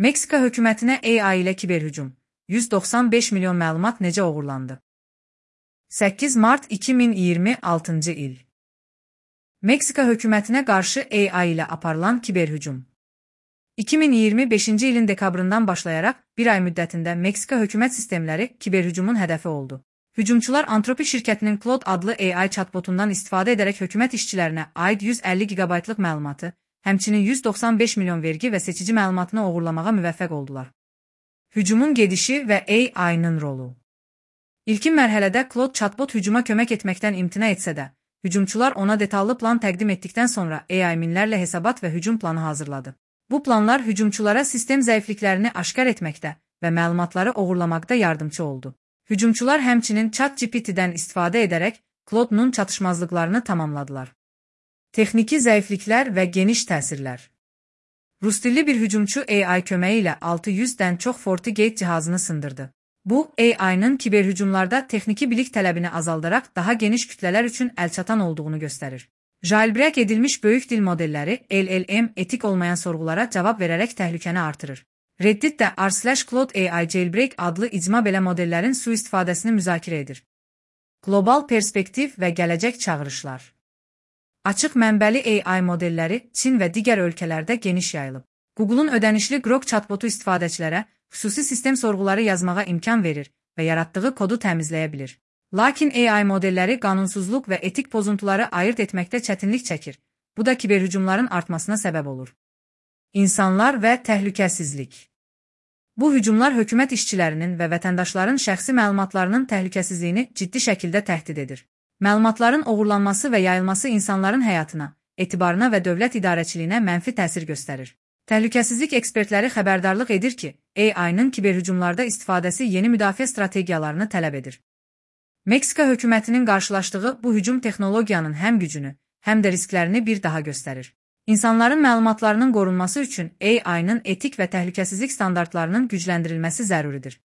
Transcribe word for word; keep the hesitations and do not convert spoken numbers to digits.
Meksika hökumətinə A I ilə kiberhücum. yüz doxsan beş milyon məlumat necə oğurlandı? səkkiz mart iki min iyirmi altıncı il. Meksika hökumətinə qarşı A I ilə aparılan kiberhücum. iki min iyirmi beşinci ilin dekabrından başlayaraq bir ay müddətində Meksika hökumət sistemləri kiberhücumun hədəfi oldu. Hücumçular Anthropic şirkətinin Claude adlı A I chatbotundan istifadə edərək hökumət işçilərinə aid yüz əlli giqabaytlıq məlumatı, həmçinin yüz doxsan beş milyon vergi və seçici məlumatını oğurlamağa müvəffəq oldular. Hücumun gedişi və A I-nın rolu. İlkin mərhələdə Claude chatbot hücuma kömək etməkdən imtina etsə də, hücumçular ona detallı plan təqdim etdikdən sonra A I minlərlə hesabat və hücum planı hazırladı. Bu planlar hücumçulara sistem zəifliklərini aşkar etməkdə və məlumatları oğurlamaqda yardımcı oldu. Hücumçular həmçinin ChatGPT-dən istifadə edərək Claude-nun çatışmazlıqlarını tamamladılar. Texniki zəifliklər və geniş təsirlər. Rusdilli bir hücumçu A I köməyi ilə altı yüzdən çox FortiGate cihazını sındırdı. Bu, A I-nın kiberhücumlarda texniki bilik tələbini azaldaraq daha geniş kütlələr üçün əlçatan olduğunu göstərir. Jailbreak edilmiş böyük dil modelləri L L M etik olmayan sorğulara cavab verərək təhlükəni artırır. Reddit də r slash Claude A I Jailbreak adlı icma belə modellərin sui-istifadəsini müzakirə edir. Qlobal perspektiv və gələcək çağırışlar. Açıq mənbəli A I modelləri Çin və digər ölkələrdə geniş yayılıb. Google'un ödənişli Grok chatbotu istifadəçilərə xüsusi sistem sorğuları yazmağa imkan verir və yaratdığı kodu təmizləyə bilir. Lakin A I modelləri qanunsuzluq və etik pozuntuları ayırt etməkdə çətinlik çəkir. Bu da kiberhücumların artmasına səbəb olur. İnsanlar və təhlükəsizlik. Bu hücumlar hökumət işçilərinin və vətəndaşların şəxsi məlumatlarının təhlükəsizliyini ciddi şəkildə təhdid edir. Məlumatların oğurlanması və yayılması insanların həyatına, etibarına və dövlət idarəçiliyinə mənfi təsir göstərir. Təhlükəsizlik ekspertləri xəbərdarlıq edir ki, A I-nın kiberhücumlarda istifadəsi yeni müdafiə strategiyalarını tələb edir. Meksika hökumətinin qarşılaşdığı bu hücum texnologiyanın həm gücünü, həm də risklərini bir daha göstərir. İnsanların məlumatlarının qorunması üçün A I-nın etik və təhlükəsizlik standartlarının gücləndirilməsi zəruridir.